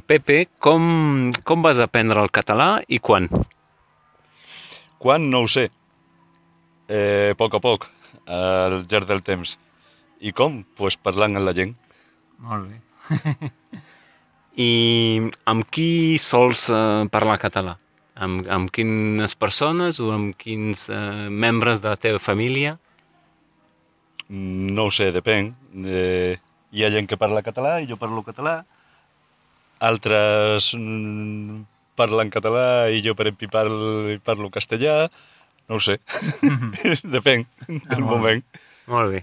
Pepe, com vas aprendre el català i quan? Quan? No ho sé. A poc, al llarg del temps. I com? Pues parlant amb la gent. Molt bé. I amb qui sols parlar català? Amb quines persones o amb quins membres de la teva família? No ho sé, depèn. Hi ha gent que parla català i jo parlo català. Altres parlen català i jo, per exemple, parlo castellà. No ho sé. Depèn del Molt bé. moment. Molt bé.